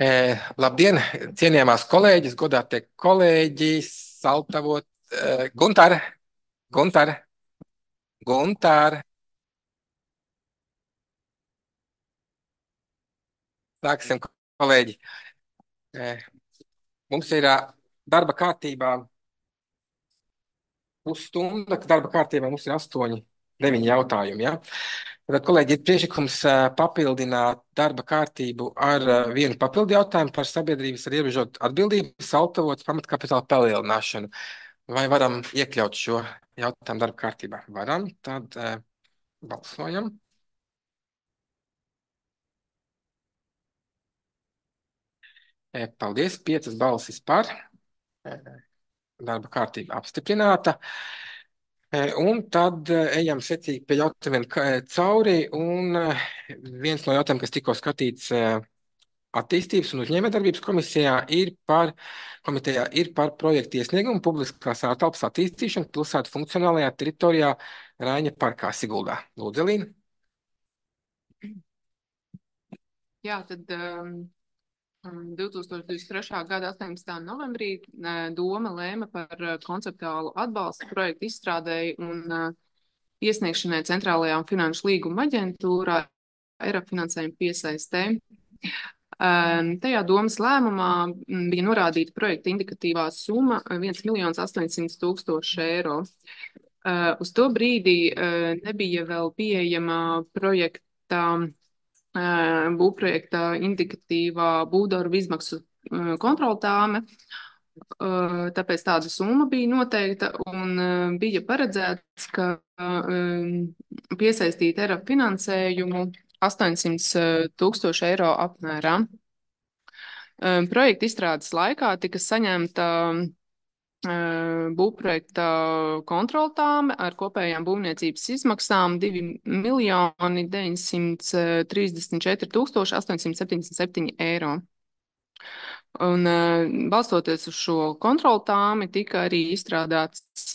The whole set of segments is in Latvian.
Labdien, cienījamās kolēģis, godātie kolēģi, Saltavot, Guntar, Guntar, Guntar. Sāksim, kolēģi. Eh, Mums ir darba kārtībā pusstunda, ka darba kārtībā mums ir 8, 9 jautājumi. Ja? Tad, kolēģi, ir priekšlikums papildināt darba kārtību ar vienu papildu jautājumu par sabiedrības ar ierobežotu atbildību, Saltavots pamatkapitāla palielināšanu. Vai varam iekļaut šo jautājumu darba kārtībā? Varam, tad balsojam. Paldies, 5 balsis par. Darba kārtība apstiprināta. Un tad ejam secīgi pie jautājumiem cauri. Un viens no jautājumiem, kas tikko skatīts attīstības un uzņēmējdarbības komitejā, ir par projektu iesniegumu publiskās ārtelpas attīstīšanu pilsētu funkcionālajā teritorijā Raiņa parkā Siguldā. Lūdzu, Elīna. Jā, tad 2023. gada 18. novembrī Doma lēma par konceptuālu atbalstu projektu izstrādēji un iesniegšanai Centrālajā finanšu līguma aģentūrā Eiropas finansējuma piesaistē. Tajā Domas lēmumā bija norādīta projekta indikatīvā summa 1.800.000 eiro. Uz to brīdī nebija vēl pieejama projekta būvprojekta indikatīvā būvdarbu izmaksu kontroltāme, tāpēc tāda summa bija noteikta un bija paredzēts, ka piesaistīt Eiropas finansējumu 800.000 eiro apmērā. Projekta izstrādes laikā tika saņemta būvprojekta kontroltāme ar kopējām būvniecības izmaksām 2.934.877 eiro. Un balstoties uz šo kontroltāmi tika arī izstrādāts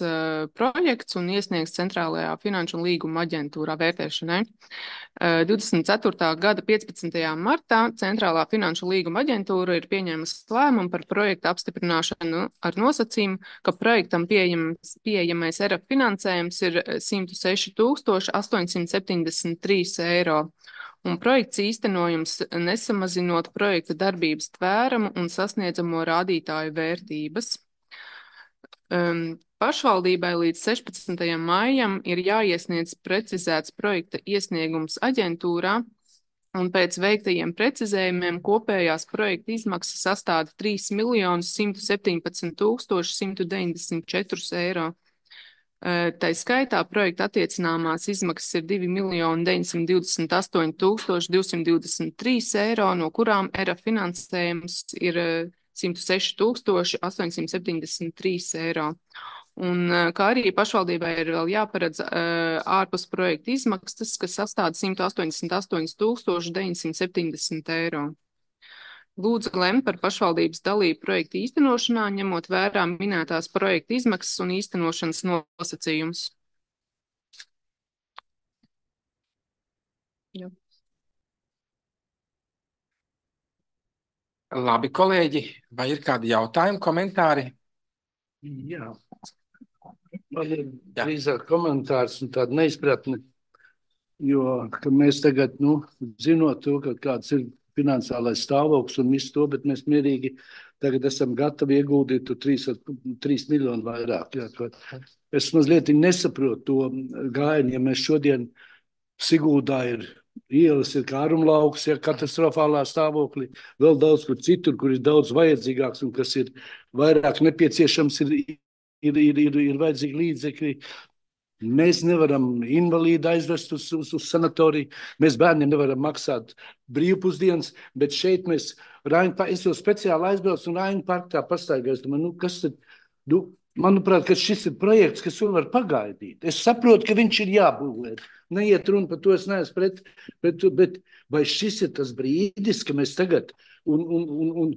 projekts un iesniegts Centrālajā finanšu un līguma aģentūrā vērtēšanai. 24. gada 15. martā Centrālā finanšu līguma aģentūra ir pieņēmusi lēmumu par projektu apstiprināšanu ar nosacījumu, ka projektam pieejamais Eiropas finansējums ir 106.873 eiro. Un projekts īstenojums nesamazinot projekta darbības tvērumu un sasniedzamo rādītāju vērtības. Pašvaldībai līdz 16. maijam ir jāiesniedz precizēts projekta iesniegums aģentūrā, un pēc veiktajiem precizējumiem kopējās projekta izmaksas sastāda 3.117.194 eiro. Tā skaitā projekta attiecināmās izmaksas ir 2.928.223 eiro, no kurām ERA finansējums ir 106.873 eiro. Un kā arī pašvaldībai ir vēl jāparedz ārpus projekta izmaksas, kas sastāda 188.970 eiro. Lūdzu lemt par pašvaldības dalību projekta īstenošanā, ņemot vērā minētās projekta izmaksas un īstenošanas nosacījumus. Jā. Labi, kolēģi, vai ir kādi jautājumi, komentāri? Jā. Man ir drīzāk komentārs un tāda neizpratne, jo ka mēs tagad, zinot to, ka kāds ir finansiālais stāvoklis un visu to, bet mēs mierīgi tagad esam gatavi ieguldīt 3 miljonu vairāk. Jā. Es mazliet nesaprotu to gājienu, ja mēs šodien Siguldā ir ielas, ir kārumlauks, ja katastrofālā stāvoklī, vēl daudz kur citur, kur ir daudz vajadzīgāks un kas ir vairāk nepieciešams, ir vajadzīgi līdzekļi. Mēs nevaram invalīdu aizvest uz sanatoriju, mēs bērniem nevaram maksāt brīvpusdienas, bet šeit mēs, es jau speciāli aizbraucu un Raiņu parkā pastaigājos, kas tad, manuprāt, ka šis ir projekts, kas var pagaidīt. Es saprotu, ka viņš ir jābūvē, neiet runa par to, es neesmu pret, bet vai šis ir tas brīdis, ka mēs tagad un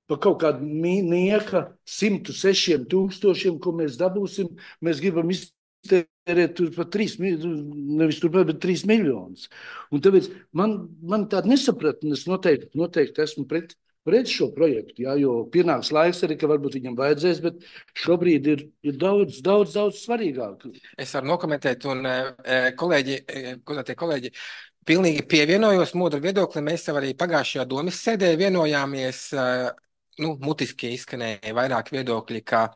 pa kaut kādu nieka 106.000, ko mēs dabūsim, mēs gribam iztērēt tur pa 3 miljonus. Un tāpēc man tāda nesapratne, es noteikti esmu pret pret šo projektu, jā, jo pienāks laiks arī, ka varbūt viņam vajadzēs, bet šobrīd ir daudz svarīgāk. Es varu nokomentēt, un kolēģi, godātie kolēģi, pilnīgi pievienojos Modra viedoklim. Mēs jau arī pagājušajā domas sēdē vienojāmies, mutiski izskanēja vairāk viedokļi, ka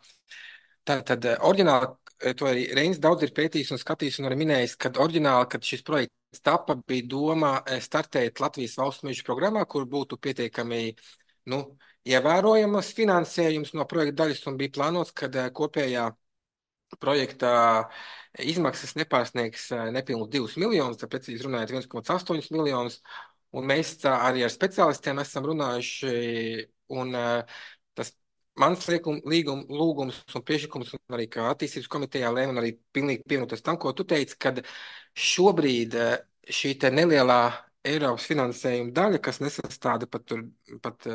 tad oriģināli, to arī Reinis daudz ir pētījis un skatījis un arī minējis, kad oriģināli, kad šis projekts tapa, bija doma startēt Latvijas valsts mežu programmā, kur būtu pietiekami, ievērojamas finansējums no projekta daļas, un bija plānots, ka kopējā projekta izmaksas nepārsniegs nepilnus 2 miljonus, tad precīzi runājot 1,8 miljonus, un mēs arī ar speciālistiem esam runājuši, un tas mans lūgums un priekšlikums, un arī kā attīstības komitejā lēma, un arī pilnīgi pievienoties tam, ko tu teici, kad šobrīd šī te nelielā Eiropas finansējuma daļa, kas nesastāda pat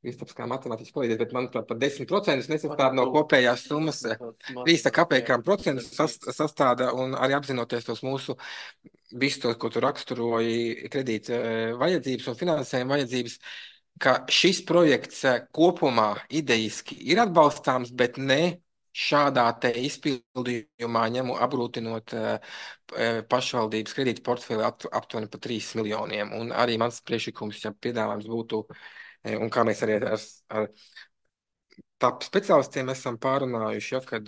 Kristaps kā matemātiķis palīdzēt, bet manuprāt, pat 10% nesastāda no kopējās summas. 3 kapekām procentus sastāda, un arī apzinoties tos mūsu visu to, ko tu raksturoji, kredīta vajadzības un finansējuma vajadzības, ka šis projekts kopumā idejiski ir atbalstāms, bet ne šādā te izpildījumā apgrūtinot pašvaldības kredīta portfeli aptuveni pa 3 miljoniem. Un arī mans priekšlikums, ja piedāvājums būtu, un kā mēs arī ar TAP speciālistiem esam pārunājuši, ja, kad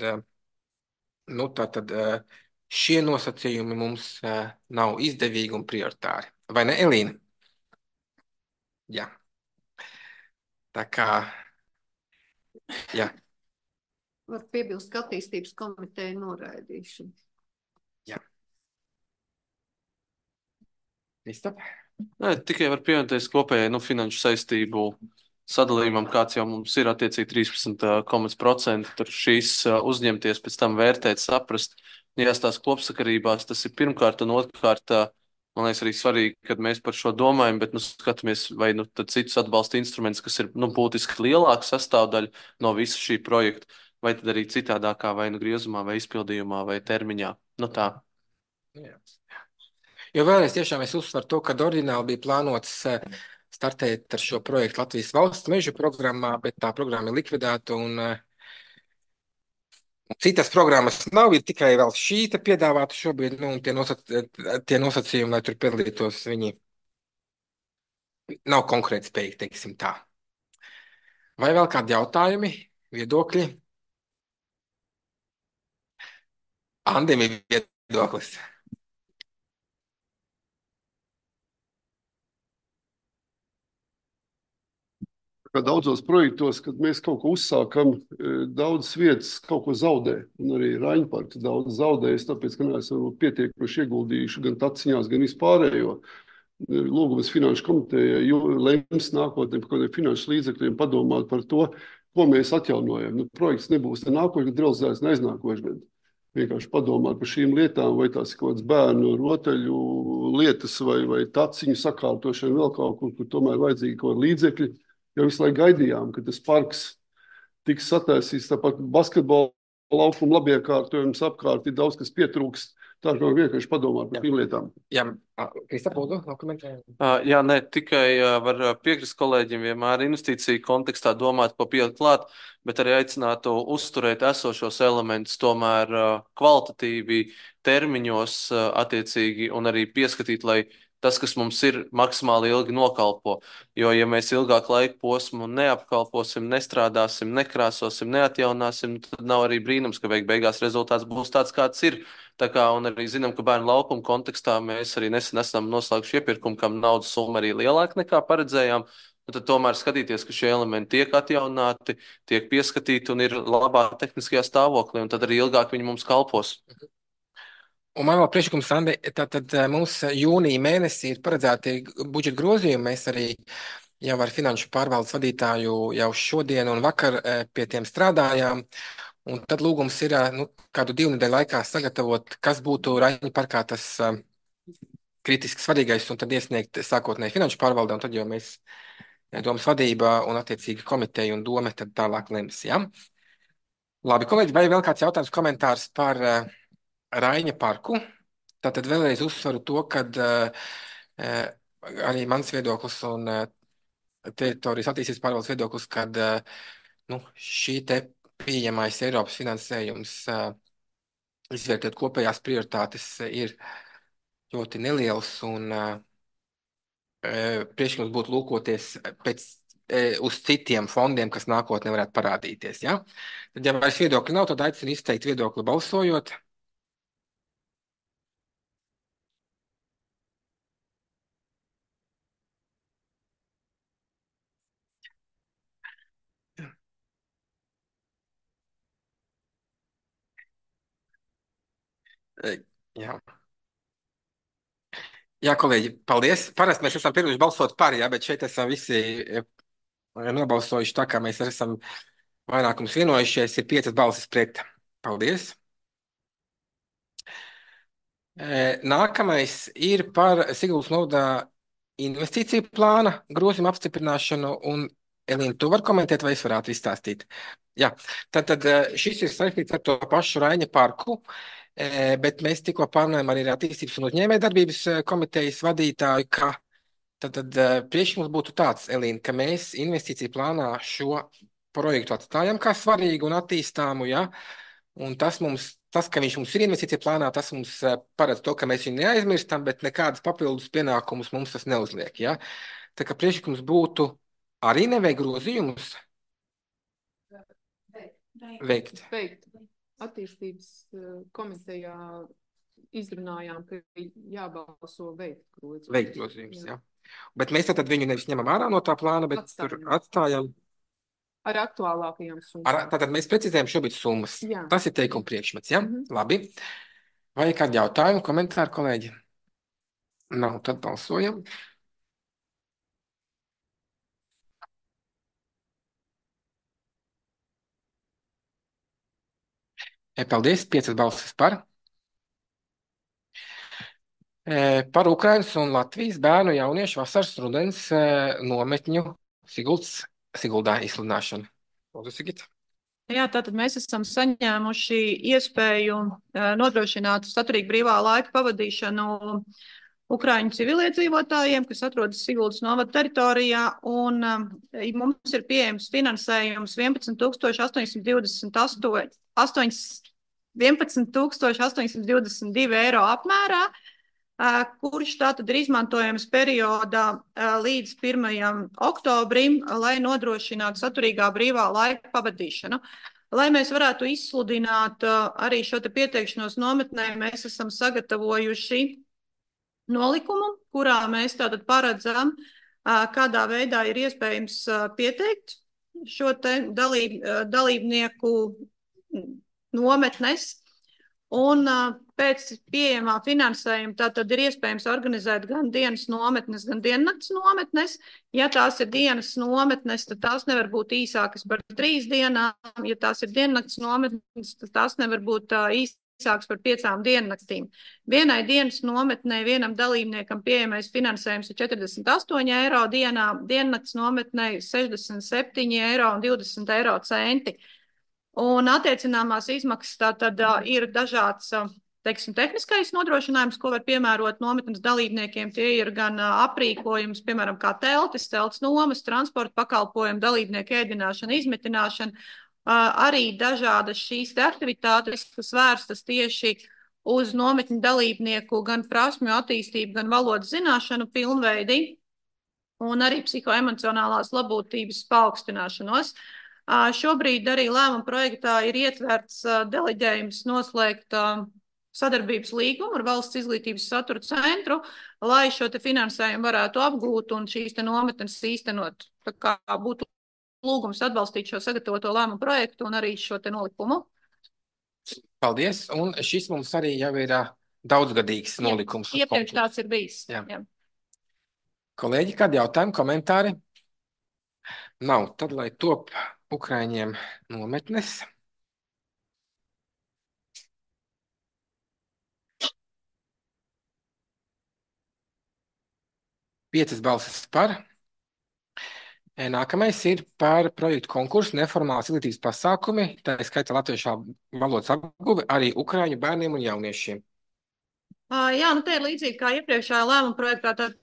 tātad šie nosacījumi mums nav izdevīgi un prioritāri. Vai ne, Elīna? Jā. Tā kā, jā. Var piebilst, ka attīstības komiteja noraidīšana. Jā. Kristap? Nē, tikai var pievienoties kopējai finanšu saistību sadalījumam, kāds jau mums ir attiecīgi 13%. Tur šīs uzņemties, pēc tam vērtēt, saprast, jāstās kopsakarībās. Tas ir pirmkārt, un otrkārt, man liekas, arī svarīgi, kad mēs par šo domājam, bet skatāmies, vai tad citus atbalsta instrumentus, kas ir būtiski lielāka sastāvdaļa no visa šī projekta, vai tad arī citādākā, vai griezumā, vai izpildījumā, vai termiņā. Tā. Jā. Jo vēlreiz tiešām es uzsveru to, ka oriģināli bija plānots startēt ar šo projektu Latvijas valsts mežu programmā, bet tā programma ir likvidēta un citas programmas nav, ir tikai vēl šī te piedāvāta šobrīd, un tie nosacījumi, lai tur piedalītos, viņi nav konkrēti spējīgi, teiksim tā. Vai vēl kādi jautājumi, viedokļi? Andim ir viedoklis. Kā daudzos projektos, kad mēs kaut ko uzsākam, daudzas vietas kaut ko zaudē. Un arī Raņparks daudz zaudējas, tāpēc, ka neesam pietiekuši ieguldījuši gan taciņās, gan vispārējo. Lūgums finanšu komitejai lems nākotnē par kādiem finanšu līdzekļiem padomāt par to, ko mēs atjaunojam. Projekts nebūs ne nākošais, gan realizēts ne aiznākošais gadu. Vienkārši padomāt par šīm lietām, vai tās ir kaut kāds bērnu rotaļu lietas vai taciņu sakārtošana vēl kaut kur tomēr vajadzīgi kaut kādi līdzekļi. Jo visu laiku gaidījām, ka tas parks tiks sataisīts, tāpat basketbola laukuma labiekārtojums apkārt ir daudz, kas pietrūkst. Tā kā vienkārši padomāt par tām lietām. Jā, Kristap, lūdzu, komentēt. Jā, ne, tikai var piekrist kolēģiem vienmēr investīciju kontekstā domāt, ko pielikt klāt, bet arī aicinātu uzturēt esošos elementus tomēr kvalitatīvi termiņos attiecīgi un arī pieskatīt, lai tas, kas mums ir, maksimāli ilgi nokalpo. Jo, ja mēs ilgāku laiku posmu neapkalposim, nestrādāsim, nekrāsosim, neatjaunāsim, tad nav arī brīnums, ka beigās rezultāts būs tāds, kāds ir. Tā kā, un arī zinām, ka bērnu laukuma kontekstā mēs arī nesen esam noslēguši iepirkumu, kam naudas summa arī lielāka nekā paredzējām. Tad tomēr skatīties, ka šie elementi tiek atjaunāti, tiek pieskatīti un ir labā tehniskajā stāvoklī, un tad arī ilgāk viņi mums kalpos. Un man vēl priekšlikums, Andi, tad mums jūnija mēnesī ir paredzēti budžeta grozījumi. Mēs arī jau ar finanšu pārvaldes vadītāju jau šodien un vakar pie tiem strādājām. Un tad lūgums ir kādu 2 nedēļu laikā sagatavot, kas būtu Raņu parkā tas kritiski svarīgais, un tad iesniegt sākotnēji finanšu pārvaldē, un tad jau mēs domas vadība un attiecīgi komiteja un doma tad tālāk lems. Ja? Labi, kolēģi, vai vēl kāds jautājums, komentārs par Raņa parku? Tātad vēlreiz uzsveru to, ka arī mans viedoklis un teritorijas attīstības pārvaldes viedoklis, kad šī te pieejamais Eiropas finansējums izvērtēt kopējās prioritātes ir ļoti neliels un priekšlikums būtu lūkoties uz citiem fondiem, kas nākotnē varētu parādīties. Ja? Tad, ja vairs viedokļi nav, tad aicinu izteikt viedokli balsojot. Jā. Jā, kolēģi, paldies. Parasti mēs esam pieraduši balsot par, jā, bet šeit esam visi nobalsojuši tā, kā mēs esam vairākums vienojušies. Ir 5 balsis pret. Paldies. Nākamais ir par Siguldas novadā investīciju plāna grozījumu apstiprināšanu. Un, Elīna, tu vari komentēt, vai es varētu izstāstīt? Jā, tad šis ir saistīts ar to pašu Raņa parku, bet mēs tikko pārunājām arī ar attīstības un uzņēmējdarbības komitejas vadītāju, ka tad priekšlikums būtu tāds, Elīna, ka mēs investīciju plānā šo projektu atstājam kā svarīgu un attīstāmu, ja? Un tas, ka viņš mums ir investīcija plānā, tas mums paredz to, ka mēs viņu neaizmirstam, bet nekādas papildus pienākumus mums tas neuzliek. Ja? Tā kā priekšlikums būtu arī neveikt grozījumus veikt. Attīstības komitejā izrunājām, ka jābalso veikt grozījumus. Veikt grozījumus, jā. Bet mēs tad viņu nevis ņemam ārā no tā plāna, bet tur atstājam. Ar aktuālākajām summām. Tātad mēs precizējam šobrīd summas. Jā. Tas ir teikuma priekšmets, ja? Labi. Vai kādi jautājumi, komentāri, kolēģi? Nav, tad balsojam. Paldies, 5 balsis par. Par Ukrainas un Latvijas bērnu jauniešu vasaras rudens nometņu Siguldā izsludināšanu. Lūdzu, Sigita. Jā, tātad mēs esam saņēmuši iespēju nodrošināt saturīgu brīvā laika pavadīšanu Ukraiņu civiliedzīvotājiem, kas atrodas Siguldas novada teritorijā, un mums ir pieejams finansējums 11,822 eiro apmērā, kurš tātad ir izmantojams periodā līdz 1. oktobrim, lai nodrošinātu saturīgā brīvā laika pavadīšanu. Lai mēs varētu izsludināt arī šo te pieteikšanos nometnē, mēs esam sagatavojuši nolikumu, kurā mēs tātad paredzam, kādā veidā ir iespējams pieteikt šo te dalībnieku nometnes. Un pēc pieejamā finansējuma tātad ir iespējams organizēt gan dienas nometnes, gan diennakts nometnes. Ja tās ir dienas nometnes, tad tās nevar būt īsākas par 3 dienām. Ja tās ir diennakts nometnes, tad tās nevar būt īsākas par 5 diennaktīm. Vienai dienas nometnē vienam dalībniekam pieejamais finansējums ir 48 eiro dienā, diennakts nometnē 67 eiro un 20 eiro centi. Un attiecināmās izmaksas tātad ir dažāds, teiksim, tehniskais nodrošinājums, ko var piemērot nometnes dalībniekiem. Tie ir gan aprīkojums, piemēram, kā teltis nomas, transporta pakalpojumi, dalībnieku ēdināšana, izmitināšana, arī dažādas šīs aktivitātes, kas vērstas tieši uz nometņu dalībnieku gan prasmju attīstību, gan valodas zināšanu pilnveidi, un arī psihoemocionālās labotības paaugstināšanos. Šobrīd arī lēmuma projektā ir ietverts deleģējums noslēgt sadarbības līgumu ar Valsts izglītības satura centru, lai šo te finansējumu varētu apgūt un šīs te nometnes īstenot. Tā kā būtu lūgums atbalstīt šo sagatavoto lēmumu projektu un arī šo te nolikumu. Paldies, un šis mums arī jau ir daudzgadīgs nolikums. Iepriekš tāds ir bijis. Jā. Kolēģi, kādi jautājumi, komentāri? Nav, tad lai top Ukraiņiem nometnes. Piecas balsis par. Nākamais ir par projektu konkursu neformālās izglītības pasākumi, tā skaitā latviešu valodas apguve arī Ukraiņu bērniem un jauniešiem. Jā, nu te ir līdzīgi kā iepriekšējā lēmuma projektā, tad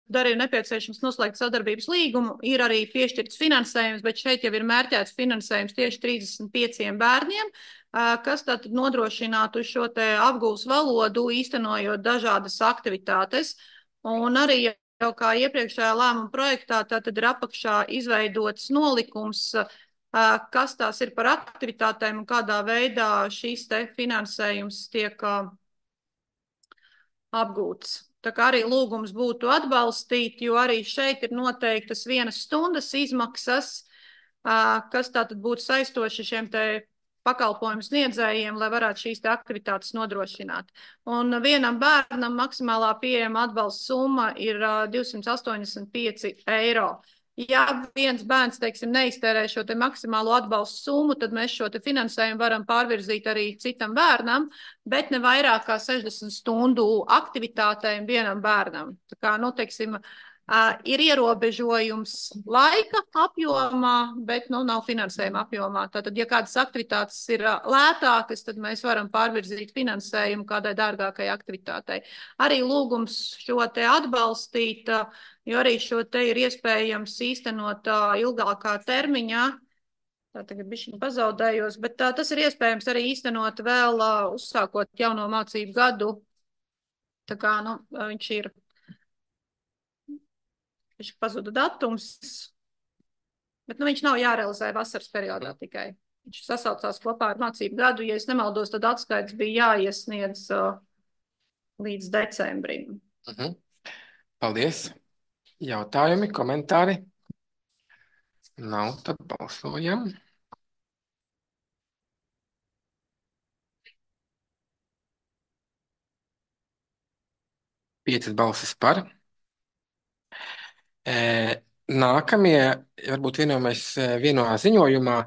tad arī ir nepieciešams noslēgt sadarbības līgumu. Ir arī piešķirts finansējums, bet šeit jau ir mērķēts finansējums tieši 35 bērniem, kas tātad nodrošinātu šo te apgūves valodu, īstenojot dažādas aktivitātes. Un arī jau kā iepriekšējā lēmuma projektā, tātad ir apakšā izveidots nolikums, kas tās ir par aktivitātēm un kādā veidā šīs te finansējums tiek apgūts. Tā kā arī lūgums būtu atbalstīt, jo arī šeit ir noteiktas 1 stundas izmaksas, kas tātad būtu saistoši šiem te pakalpojumu sniedzējiem, lai varētu šīs te aktivitātes nodrošināt. Un vienam bērnam maksimālā pieejama atbalsta summa ir 285 eiro. Ja viens bērns, teiksim, neiztērē šo te maksimālo atbalstu summu, tad mēs šo te finansējumu varam pārvirzīt arī citam bērnam, bet ne vairāk kā 60 stundu aktivitātēm vienam bērnam. Tā kā, nu, teiksim, ir ierobežojums laika apjomā, bet, nu, nav finansējuma apjomā. Tātad, ja kādas aktivitātes ir lētākas, tad mēs varam pārvirzīt finansējumu kādai dārgākai aktivitātei. Arī lūgums šo te atbalstīt, jo arī šo te ir iespējams īstenot ilgākā termiņā. Tā tagad bišķiņ pazaudējos, bet tas ir iespējams arī īstenot vēl uzsākot jauno mācību gadu. Tā kā, nu, viņš pazuda datums, bet, nu, viņš nav jārealizē vasaras periodā tikai. Viņš sasaucās kopā ar mācību gadu. Ja es nemaldos, tad atskaits bija jāiesniedz līdz decembrim. Paldies! Jautājumi, komentāri? Nav, tad balsojam. Piecas balsis par. Nākamie, varbūt vienojamies vienā ziņojumā,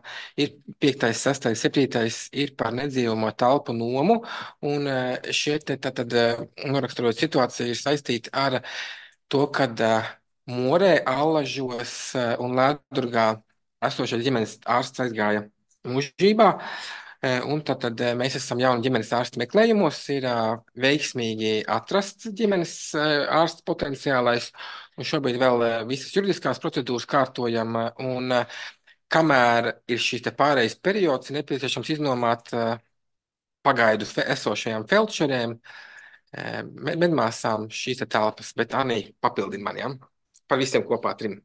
ir 5., 6., 7. ir par nedzīvamo telpu nomu, un šie tad noraksturot situāciju ir saistīti ar to, kad Morē, Allažos un Lēdurgā esošais ģimenes ārsts aizgāja mūžībā, un tad mēs esam jauni ģimenes ārsta meklējumos, ir veiksmīgi atrasts ģimenes ārsta potenciālais, un šobrīd vēl visas juridiskās procedūras kārtojam, un kamēr ir šīs te pārejas periods, ir nepieciešams iznomāt pagaidu esošajām feldšerēm, medmāsām šīs telpas, bet Anī papildina man, ja? Par visiem kopā 3.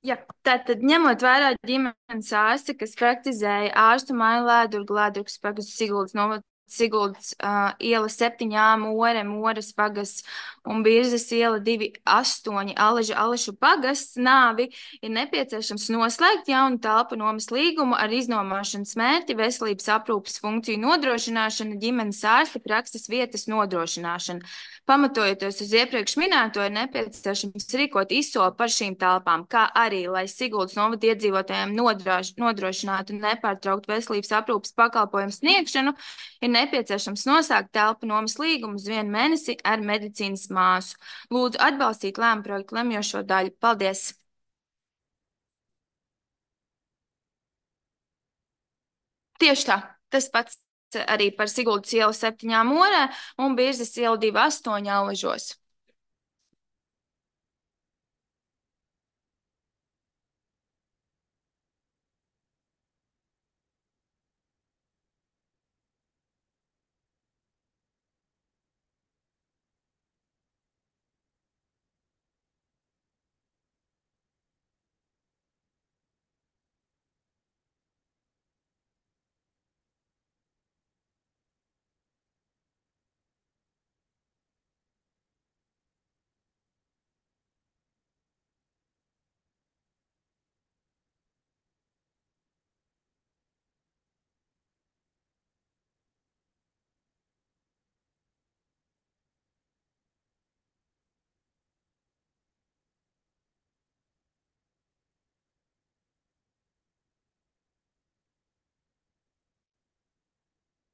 Jā, tātad ņemot vērā ģimenes ārsti, kas praktizēja ārstu māju Lēdurgu, Lēdurgas pagasts Siguldas iela 7A, Moras pagasts un Birzes iela 2,8 Allažu pagasts nāvi, ir nepieciešams noslēgt jaunu telpu nomas līgumu ar iznomāšanas mērķi veselības aprūpes funkciju nodrošināšanu, ģimenes ārsta prakses vietas nodrošināšanu. Pamatojoties uz iepriekš minēto, ir nepieciešams rīkot izsoli par šīm telpām, kā arī, lai Siguldas novada iedzīvotājiem nodrošinātu nepārtrauktu veselības aprūpes pakalpojumu sniegšanu, ir nepieciešams nosākt telpu nomas līgumu uz 1 mēnesi ar medicīnas māsu. Lūdzu atbalstīt lēmumu projektu lemjošo daļu. Paldies! Tieši tā, tas pats arī par Siguldas ielu 7 Morē un Birzes ielu 2,8 Allažos.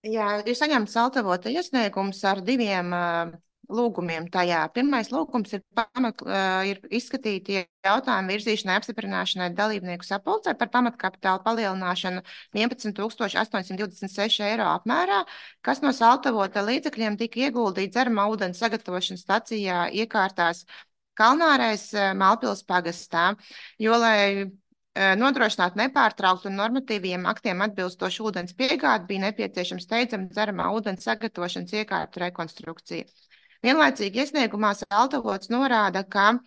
Jā, ir saņemts altavota iesniegums ar 2 lūgumiem tajā. Pirmais lūgums ir izskatīti jautājumu virzīšanai apstiprināšanai dalībnieku sapulcē par pamatkapitāla palielināšanu 11,826 eiro apmērā, kas no saltavota līdzekļiem tika ieguldīts dzeramā ūdens sagatavošanas stacijā iekārtās Kalnārais Malpils pagastā, jo, lai nodrošinātu nepārtrauktu un normatīviem aktiem atbilstošu ūdens piegādi, bija nepieciešams steidzama dzeramā ūdens sagatavošanas iekārtu rekonstrukcija. Vienlaicīgi iesniegumā Saltavots norāda, ka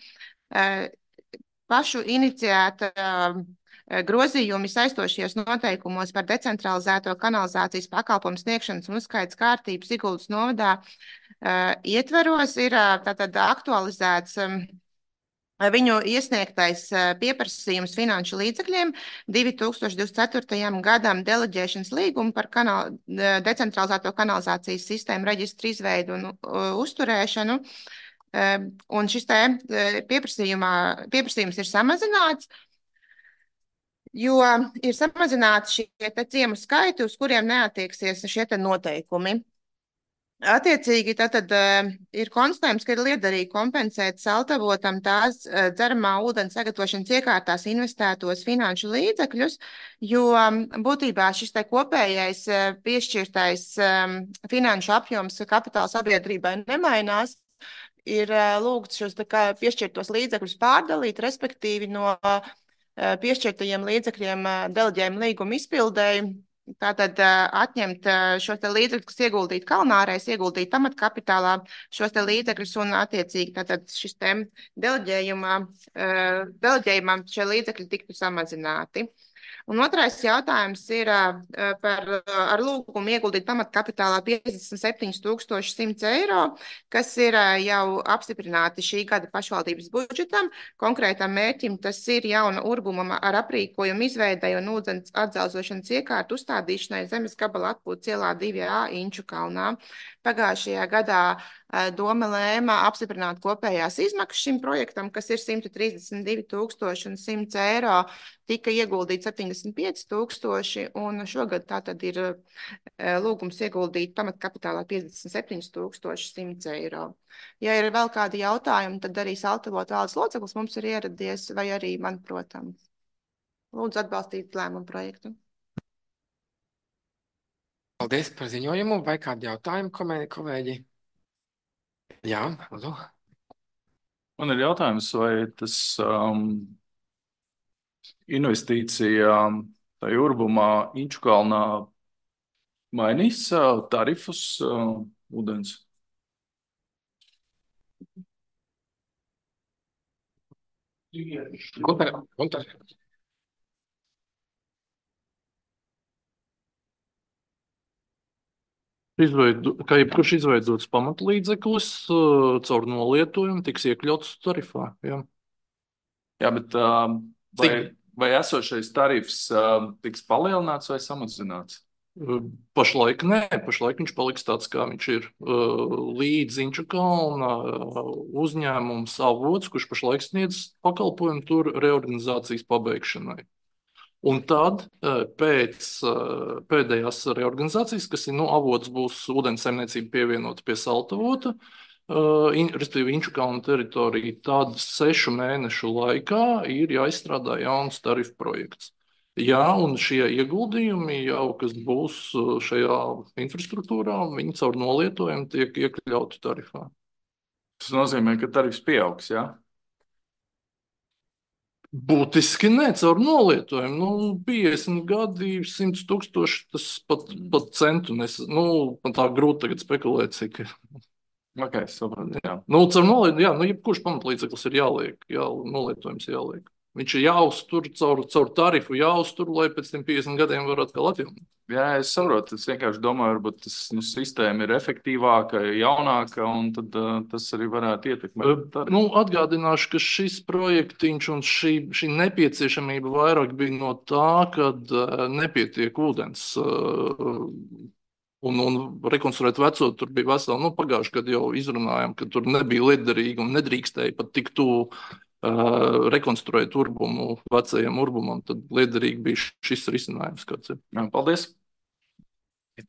pašu iniciēta grozījumi saistošies noteikumos par decentralizēto kanalizācijas pakalpojumu sniegšanas un uzskaites kārtību Siguldas novadā ietveros ir tātad aktualizēts viņu iesniegtais pieprasījums finanšu līdzekļiem 2024. gadam deleģēšanas līgumu par decentralizēto kanalizācijas sistēmu reģistru izveidu un uzturēšanu. Un šis pieprasījums ir samazināts, jo ir samazināti šie ciemu skaiti, uz kuriem neatieksies šie noteikumi. Attiecīgi, tātad ir konstatējums, ka ir liederīgi kompensēt Saltavotam tās dzeramā ūdens sagatavošanas iekārtās investētos finanšu līdzekļus, jo būtībā šis kopējais piešķirtais finanšu apjoms kapitāla sabiedrībai nemainās. Ir lūgts šos piešķirtos līdzekļus pārdalīt, respektīvi no piešķirtajiem līdzekļiem deleģējumu līgumu izpildēji. Tātad atņemt šos līdzekļus, kas ieguldīt Kalnārais, ieguldīt pamatkapitālā šos līdzekļus un attiecīgi tātad šis deleģējumam šie līdzekļi tiktu samazināti. Un otrais jautājums ir ar lūgumu ieguldīt pamatkapitālā 57 100 eiro, kas ir jau apstiprināti šī gada pašvaldības budžetam. Konkrētam mērķim tas ir jauna urbuma ar aprīkojumu izveidai un ūdens atdzelzošanas iekārtu uzstādīšanai zemes gabala atpūtas ielā 2A Inču kalnā. Pagājušajā gadā doma lēma apstiprināt kopējās izmaksas šim projektam, kas ir 132 100 eiro, tika ieguldīt 75 000, un šogad tātad ir lūgums ieguldīt pamatkapitālā 57 100 eiro. Ja ir vēl kādi jautājumi, tad arī Saltavota valdes loceklis mums ir ieradies, vai arī man, protams. Lūdzu atbalstīt lēmumu projektu. Paldies par ziņojumu. Vai kādi jautājumi, kolēģi? Jā, lūdzu. Man ir jautājums, vai tas investīcija tajā urbumā Inču kalnā mainīs tarifus ūdens? Gunter. Kā jebkurš izveidots pamatlīdzeklis caur nolietojumu tiks iekļauts tarifā. Jā, bet vai esošais tarifs tiks palielināts vai samazināts? Pašlaik nē, pašlaik viņš paliks tāds, kā viņš ir līdz Inču kalna uzņēmums Avots, kurš pašlaik sniedz pakalpojumu tur reorganizācijas pabeigšanai. Un tad pēc pēdējās reorganizācijas, kas ir Avots būs ūdens saimniecība pievienota pie Saltavota, respektīvi Inču kalna teritorija, tad 6 mēnešu laikā ir jāizstrādā jauns tarifu projekts. Jā, un šie ieguldījumi jau, kas būs šajā infrastruktūrā, viņi caur nolietojumu tiek iekļauti tarifā. Tas nozīmē, ka tarifs pieaugs, jā? Būtiski ne, caur nolietojumu. 50 gadi, 100 000, tas pat centu man tā grūti tagad spekulēt, cik. Ok, sapratu, jā. Caur nolietojumu, jā, jebkurš pamatlīdzeklis ir jāliek, nolietojums jāliek. Viņš ir jāuztur caur tarifu, jāuztur, lai pēc tiem 50 gadiem var atkal atjaunot. Jā, es saprotu, es vienkārši domāju, varbūt tas sistēma ir efektīvāka, jaunāka, un tad tas arī varētu ietekmēt. Atgādināšu, ka šis projektiņš un šī nepieciešamība vairāk bija no tā, kad nepietiek ūdens. Un rekonstruēt veco, tur bija vesela, pagājuši, kad jau izrunājām, ka tur nebija liederīgi un nedrīkstēja pat tik tuvu rekonstruēt urbumu vecajam urbumam, tad liederīgi bija šis risinājums, kāds ir. Jā, paldies!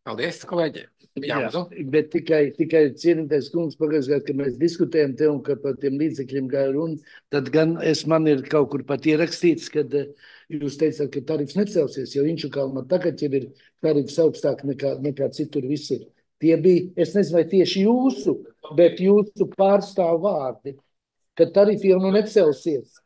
Paldies, kolēģi! Jā, bet tikai cienītais kungs pagājušajā gadā, kad mēs diskutējam te un ka par tiem līdzekļiem gāja runa, tad gan man ir kaut kur pat ierakstīts, kad jūs teicāt, ka tarifs necelsies, jo Inču kalnā tagad jau ir tarifs augstāk nekā citur visur. Tie bija, es nezinu, vai tieši jūsu, bet jūsu pārstāv vārdi. ka tarifi jau nu necelsies.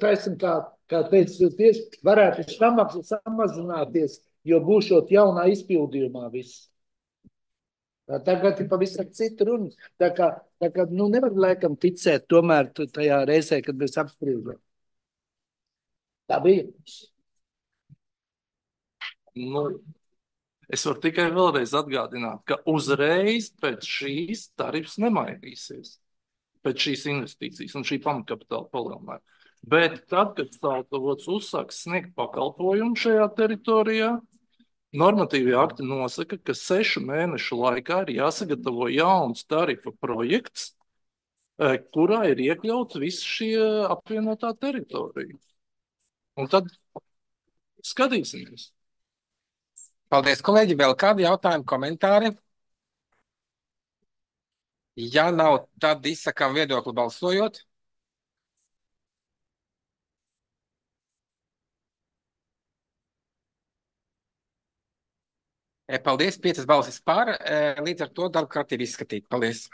Taisim, kā teicu, tieši varētu samaksa samazināties, jo būšot jaunā izpildījumā viss. Tagad ir pavisam cita runa. Tā kā nu nevar laikam ticēt tomēr tajā reizē, kad mēs apspriežam. Tā bija. Nu, es varu tikai vēlreiz atgādināt, ka uzreiz pēc šīs tarifs nemainīsies. Pēc šīs investīcijas un šī pamatkapitāla palielinājuma. Bet tad, kad Staltavots uzsāks sniegt pakalpojumu šajā teritorijā, normatīvie akti nosaka, ka 6 mēnešu laikā ir jāsagatavo jauns tarifa projekts, kurā ir iekļauts visi šie apvienotā teritorija. Un tad skatīsimies. Paldies, kolēģi. Vēl kādi jautājumi, komentāri? Ja nav, tad izsakām viedokli balsojot. Paldies, 5 balsis par. Līdz ar to darba kārtība izskatīta. Paldies.